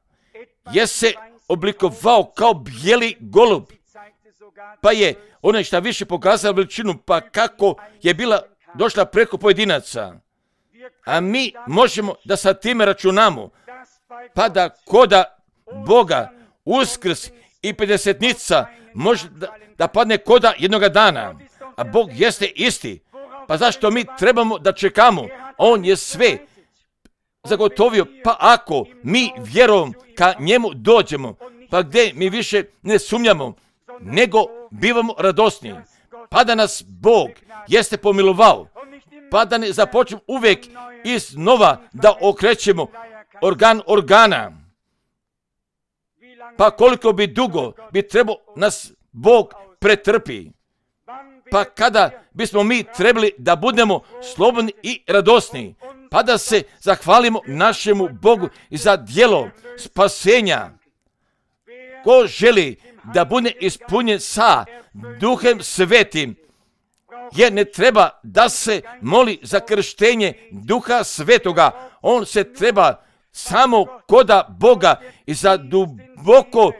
je se oblikovao kao bijeli golub, pa je ona šta više pokazala veličinu, pa kako je bila došla preko pojedinaca. A mi možemo da sa time računamo, pa da koda Boga Uskrs i pedesetnica može da, da padne koda jednoga dana, a Bog jeste isti. Pa zašto mi trebamo da čekamo? On je sve zagotovio, pa ako mi vjerom ka njemu dođemo, pa gdje mi više ne sumnjamo, nego bivamo radosni, pa da nas Bog jeste pomilovao, pa da ne započnemo uvijek iznova da okrećemo organ organa. Pa koliko bi dugo bi trebao nas Bog pretrpi, pa kada bismo mi trebali da budemo slobodni i radosni, pa da se zahvalimo našemu Bogu za djelo spasenja. Ko želi da bude ispunjen sa Duhem Svetim, jer ne treba da se moli za krštenje Duha Svetoga, on se treba samo koda Boga i za duboko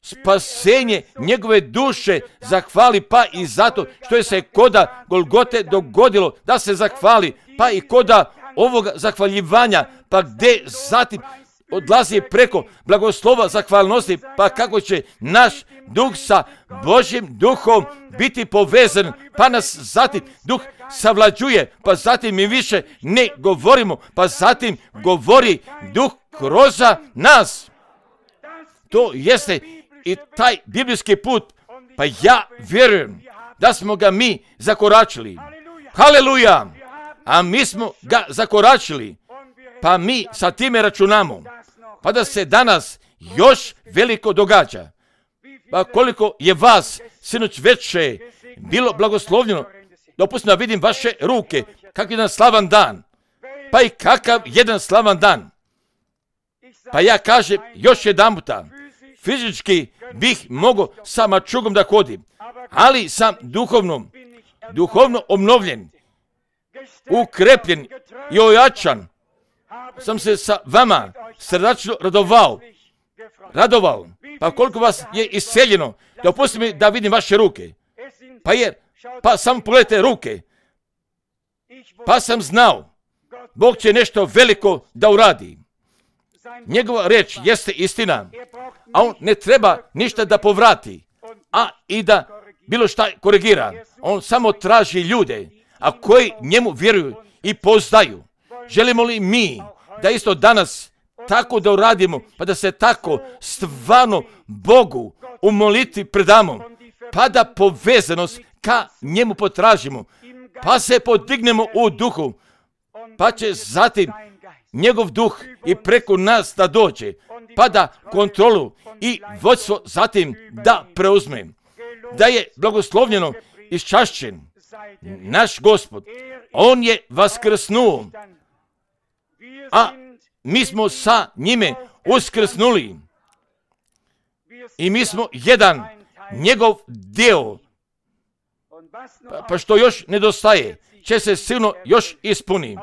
spasenje njegove duše zahvali, pa i zato što je se koda Golgote dogodilo da se zahvali, pa i koda ovoga zahvaljivanja, pa gdje zatim odlazi preko blagoslova zahvalnosti, pa kako će naš duh sa Božjim duhom biti povezan, pa nas zatim duh savlađuje, pa zatim mi više ne govorimo, pa zatim govori duh kroz nas. To jeste i taj biblijski put, pa ja vjerujem da smo ga mi zakoračili. Haleluja! A mi smo ga zakoračili, pa mi sa time računamo, pa da se danas još veliko događa. Pa koliko je vas sinoć veče bilo blagoslovljeno, dopustite da vidim vaše ruke, kakav jedan slavan dan, pa i kakav jedan slavan dan. Pa ja kažem još jedan puta, fizički bih mogao sa mačugom da hodim, ali sam duhovno, duhovno obnovljen, ukrepljen i ojačan, sam se sa vama srdačno radovao, radovao. Pa koliko vas je iseljeno, dopustite mi da vidim vaše ruke. Pa jer, pa samo pogledajte ruke. Pa sam znao, Bog će nešto veliko da uradi. Njegova reč jeste istina, a on ne treba ništa da povrati, a i da bilo šta korigira. On samo traži ljude, a koji njemu vjeruju i poznaju. Želimo li mi da isto danas tako da uradimo, pa da se tako stvarno Bogu u molitvi predamo, pa da povezanost ka njemu potražimo, pa se podignemo u duhu, pa će zatim njegov duh i preko nas da dođe, pa da kontrolu i vodstvo zatim da preuzme. Da je blagoslovljeno iščašćen naš Gospod. On je vaskrsnuo, a mi smo sa njime uskrsnuli. I mi smo jedan njegov dio. Pa, pa što još nedostaje, će se silno još ispuni.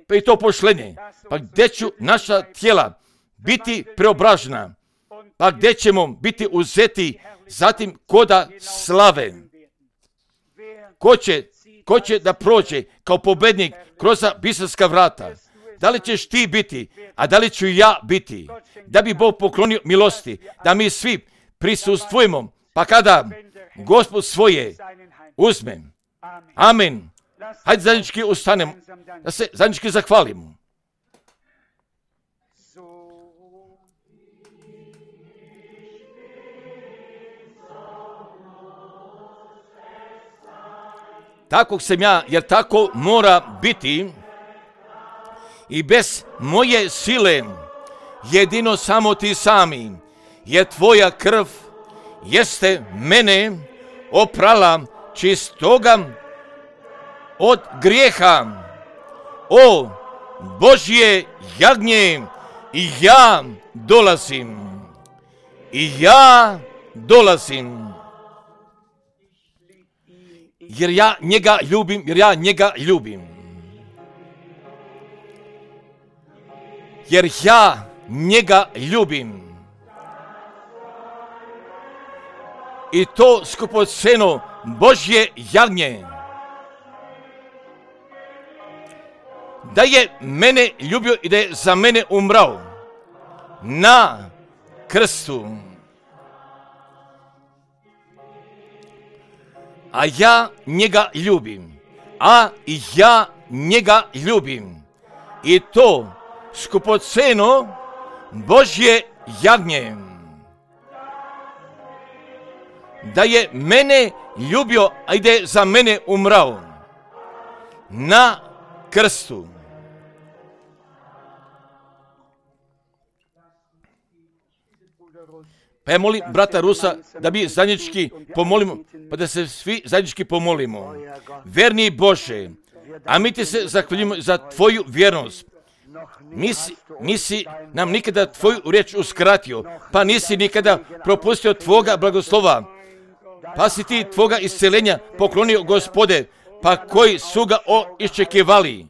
Pa i to pošlenje. Pa gdje ću naša tijela biti preobražena? Pa gdje ćemo biti uzeti zatim koda slave? Ko će, ko će da prođe kao pobednik kroz bistarska vrata? Da li ćeš ti biti, a da li ću ja biti? Da bi Bog poklonio milosti, da mi svi prisustvujemo, pa kada Gospod svoje uzme. Amen. Hajde zajednički ustanemo, da se zajednički zahvalimo. Takvog sam ja, jer tako mora biti i bez moje sile, jedino samo ti sami, jer tvoja krv jeste mene oprala čistoga od grijeha. O Božje jagnje, i ja dolazim, i ja dolazim. Jer ja njega ljubim, jer ja njega ljubim. Jer ja njega ljubim. I to skupoceno Božje jagnje. Da je mene ljubio i da je za mene umrao na krstu. A ja njega ljubim, a ja njega ljubim. I to skupoceno Božje jagnje. Da je mene ljubio, a i da je za mene umrao na krstu. Pa ja molim brata Rusa da mi zajednički pomolimo, pa da se svi zajednički pomolimo. Verni Bože, a mi ti se zahvaljujemo za tvoju vjernost. Nisi, nisi nam nikada tvoju riječ uskratio, pa nisi nikada propustio tvoga blagoslova. Pa si ti tvoga isceljenja poklonio, Gospode, pa koji su ga iščekivali.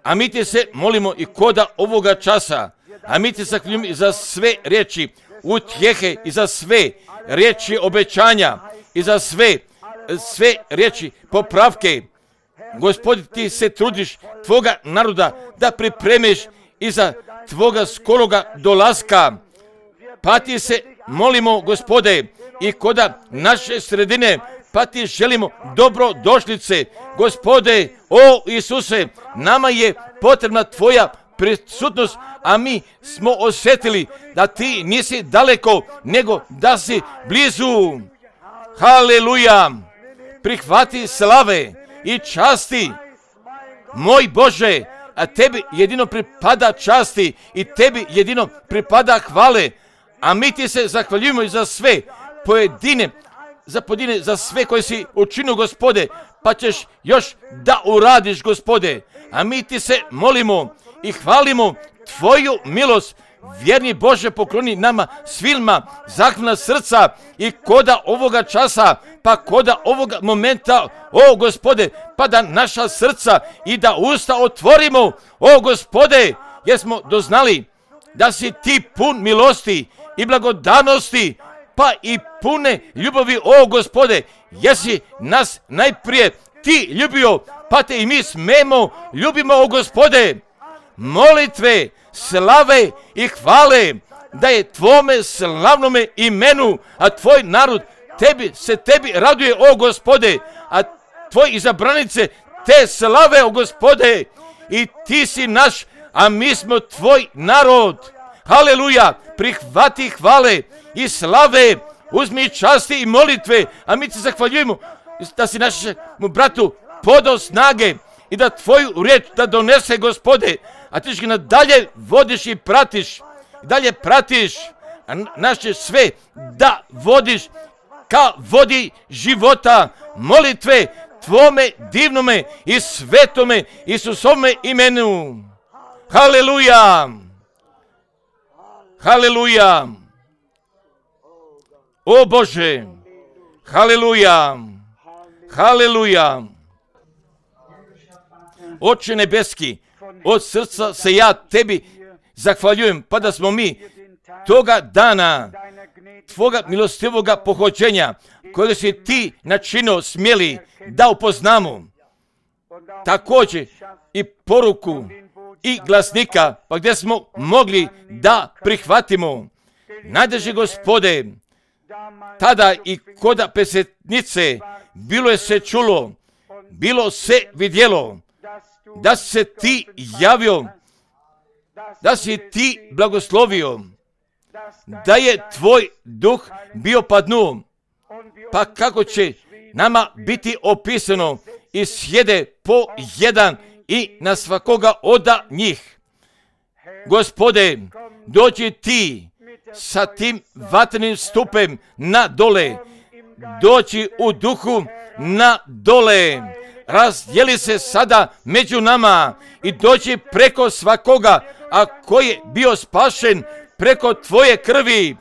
A mi ti se molimo i koda ovoga časa, a mi ti zahvaljujemo za sve riječi utjehe i za sve riječi obećanja i za sve, sve riječi popravke. Gospodi, ti se trudiš tvoga naroda da pripremiš i za tvoga skoroga dolaska. Pa ti se molimo, Gospode, i koda naše sredine, pa ti želimo dobrodošlice. Gospode, o Isuse, nama je potrebna tvoja prisutnost, a mi smo osjetili da ti nisi daleko, nego da si blizu. Haleluja! Prihvati slave i časti, moj Bože, a tebi jedino pripada časti i tebi jedino pripada hvale, a mi ti se zahvaljujemo i za sve pojedine, za pojedine, za sve koje si učinio, Gospode, pa ćeš još da uradiš, Gospode, a mi ti se molimo i hvalimo tvoju milost. Vjerni Bože, pokloni nama svima zahvalna srca i koda ovoga časa, pa koda ovoga momenta, o Gospode, pa da naša srca i da usta otvorimo, o Gospode, jer smo doznali da si ti pun milosti i blagodanosti, pa i pune ljubavi, o Gospode, jesi nas najprije ti ljubio, pa te i mi smemo ljubimo, o Gospode. Molitve, slave i hvale da je tvome slavnome imenu, a tvoj narod tebi se tebi raduje, o Gospode, a tvoj izabranice te slave, o Gospode, i ti si naš, a mi smo tvoj narod. Haleluja, prihvati hvale i slave, uzmi časti i molitve, a mi ti zahvaljujemo da si našemu bratu podao snage i da tvoju riječ da donese, Gospode, a ti ga nadalje vodiš i pratiš, dalje pratiš, a naše sve da vodiš ka vodi života, molitve tvome divnome i svetome Isusovome imenu. Haleluja! Haleluja! O Bože! Haleluja! Haleluja! Oče nebeski, od srca se ja tebi zahvaljujem, pa da smo mi toga dana tvoga milostivoga pohođenja, kojeg si ti načinio smjeli da upoznamo, također i poruku i glasnika, pa gdje smo mogli da prihvatimo. Najdraži Gospode, tada i koda pesetnice bilo je se čulo, bilo se vidjelo, da se ti javio, da si ti blagoslovio, da je tvoj duh bio padnu, pa kako će nama biti opisano i sjede po jedan i na svakoga od njih. Gospode, dođi ti sa tim vatrenim stupem na dole, doći u duhu na dole, razdjeli se sada među nama i doći preko svakoga, a koji je bio spašen preko tvoje krvi.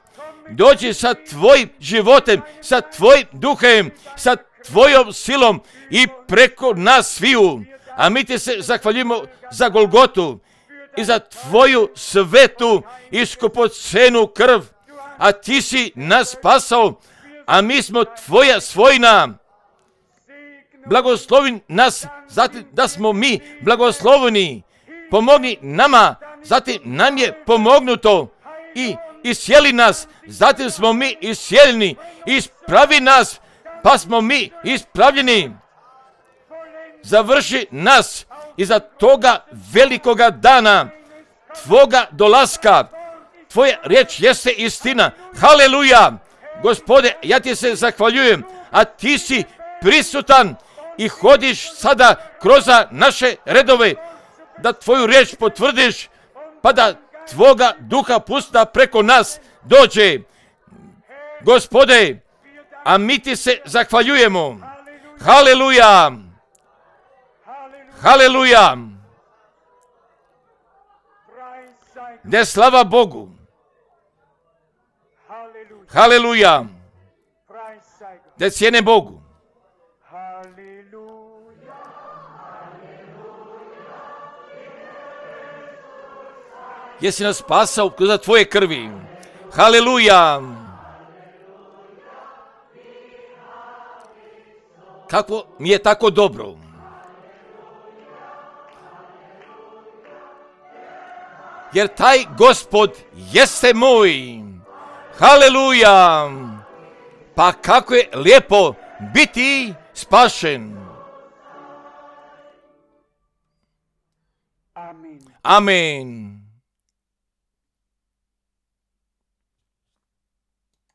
Dođi sa tvojim životem, sa tvojim duhem, sa tvojom silom i preko nas sviju. A mi ti se zahvaljujemo za Golgotu i za tvoju svetu i skupocenu krv. A ti si nas spasao, a mi smo tvoja svojina. Blagoslovi nas, zatim da smo mi blagosloveni. Pomogni nama, zatim nam je pomognuto i isjeli nas, zatim smo mi isjeljeni. Ispravi nas, pa smo mi ispravljeni. Završi nas iza toga velikoga dana, tvoga dolaska. Tvoja riječ jeste istina. Haleluja! Gospode, ja ti se zahvaljujem, a ti si prisutan i hodiš sada kroz naše redove, da tvoju riječ potvrdiš, pa da tvoga duha pusta preko nas dođe. Gospode, a mi ti se zahvaljujemo. Haleluja! Haleluja! Ne slava Bogu. Haleluja! Da cijene Bogu. Jesi nas spasao kroz tvoje krvi. Haleluja! Kako mi je tako dobro. Jer taj Gospod jeste moj. Haleluja! Pa kako je lijepo biti spašen. Amen. Amen.